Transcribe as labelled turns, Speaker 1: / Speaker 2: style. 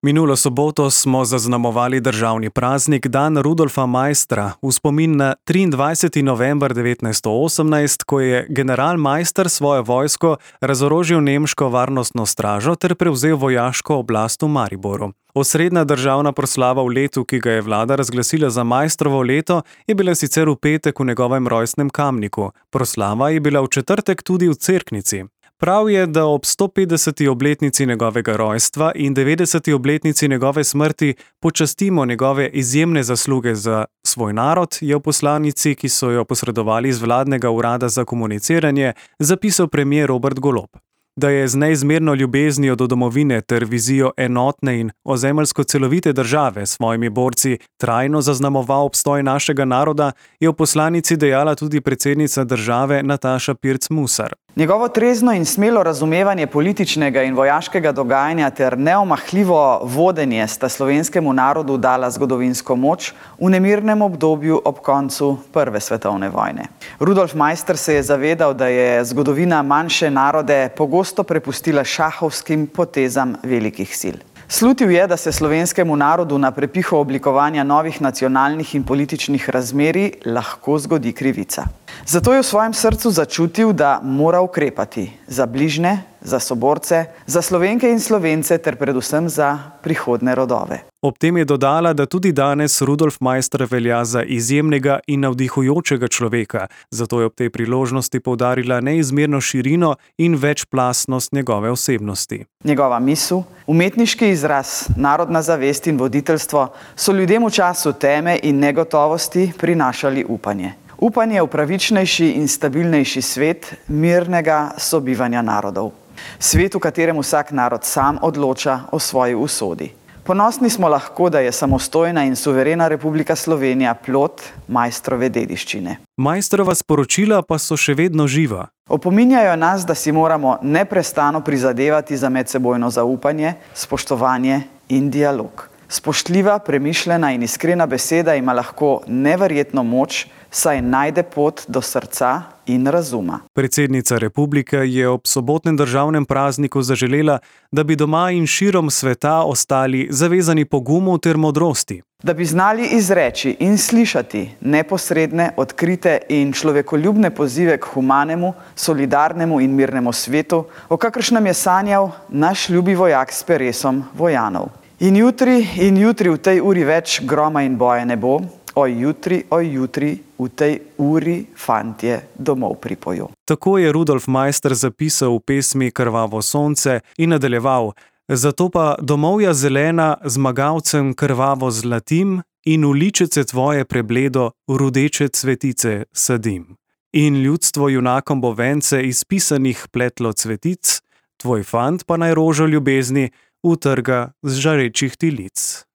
Speaker 1: Minulo soboto smo zaznamovali državni praznik Dan Rudolfa Maistra v spomin na 23. november 1918, ko je general Maister svojo vojsko razorožil nemško varnostno stražo ter prevzel vojaško oblast v Mariboru. Osrednja državna proslava v letu, ki ga je vlada razglasila za Maistrovo leto, je bila sicer v petek v njegovem rojstnem Kamniku. Proslava je bila v četrtek tudi v Cerknici. Prav je, da ob 150. obletnici njegovega rojstva in 90. obletnici njegove smrti počastimo njegove izjemne zasluge za svoj narod, je v poslanici, ki so jo posredovali iz vladnega urada za komuniciranje, zapisal premier Robert Golob. Da je z neizmerno ljubeznijo do domovine ter vizijo enotne in ozemeljsko celovite države s svojimi borci trajno zaznamoval obstoj našega naroda, je v poslanici dejala tudi predsednica države Nataša Pirc Musar.
Speaker 2: Njegovo trezno in smelo razumevanje političnega in vojaškega dogajanja ter neomahljivo vodenje sta slovenskemu narodu dala zgodovinsko moč v nemirnem obdobju ob koncu Prve svetovne vojne. Rudolf Maister se je zavedal, da je zgodovina manjše narode pogosto prepustila šahovskim potezam velikih sil. Slutil je, da se slovenskemu narodu na prepihu oblikovanja novih nacionalnih in političnih razmerij lahko zgodi krivica. Zato je v svojem srcu začutil, da mora ukrepati za bližnje, za soborce, za Slovenke in Slovence ter predvsem za prihodne rodove.
Speaker 1: Ob tem je dodala, da tudi danes Rudolf Maister velja za izjemnega in navdihujočega človeka, zato je ob tej priložnosti poudarila neizmerno širino in večplastnost njegove osebnosti.
Speaker 2: Njegova misel, umetniški izraz, narodna zavest in voditeljstvo so ljudem v času teme in negotovosti prinašali upanje. Upanje v pravičnejši in stabilnejši svet mirnega sobivanja narodov. Svet, v katerem vsak narod sam odloča o svoji usodi. Ponosni smo lahko, da je samostojna in suverena Republika Slovenija plod Maistrove dediščine.
Speaker 1: Maistrova sporočila pa so še vedno živa.
Speaker 2: Opominjajo nas, da si moramo neprestano prizadevati za medsebojno zaupanje, spoštovanje in dialog. Spoštljiva, premišljena in iskrena beseda ima lahko neverjetno moč, saj najde pot do srca in razuma.
Speaker 1: Predsednica republike je ob sobotnem državnem prazniku zaželela, da bi doma in širom sveta ostali zavezani pogumu ter modrosti.
Speaker 2: Da bi znali izreči in slišati neposredne, odkrite in človekoljubne pozive k humanemu, solidarnemu in mirnemu svetu, o kakršnem je sanjal naš ljubi vojak s peresom vojanov. In jutri v tej uri več groma in boja ne bo, oj jutri, v tej uri fantje domov pripojo.
Speaker 1: Tako je Rudolf Maister zapisal v pesmi Krvavo sonce in nadaljeval: zato pa domovja zelena zmagavcem krvavo zlatim in v ličece tvoje prebledo rudeče cvetice sadim. In ljudstvo junakom bo vence iz pisanih pletlo cvetic, tvoj fant pa naj rožo ljubezni utrga z žarečih ti lic.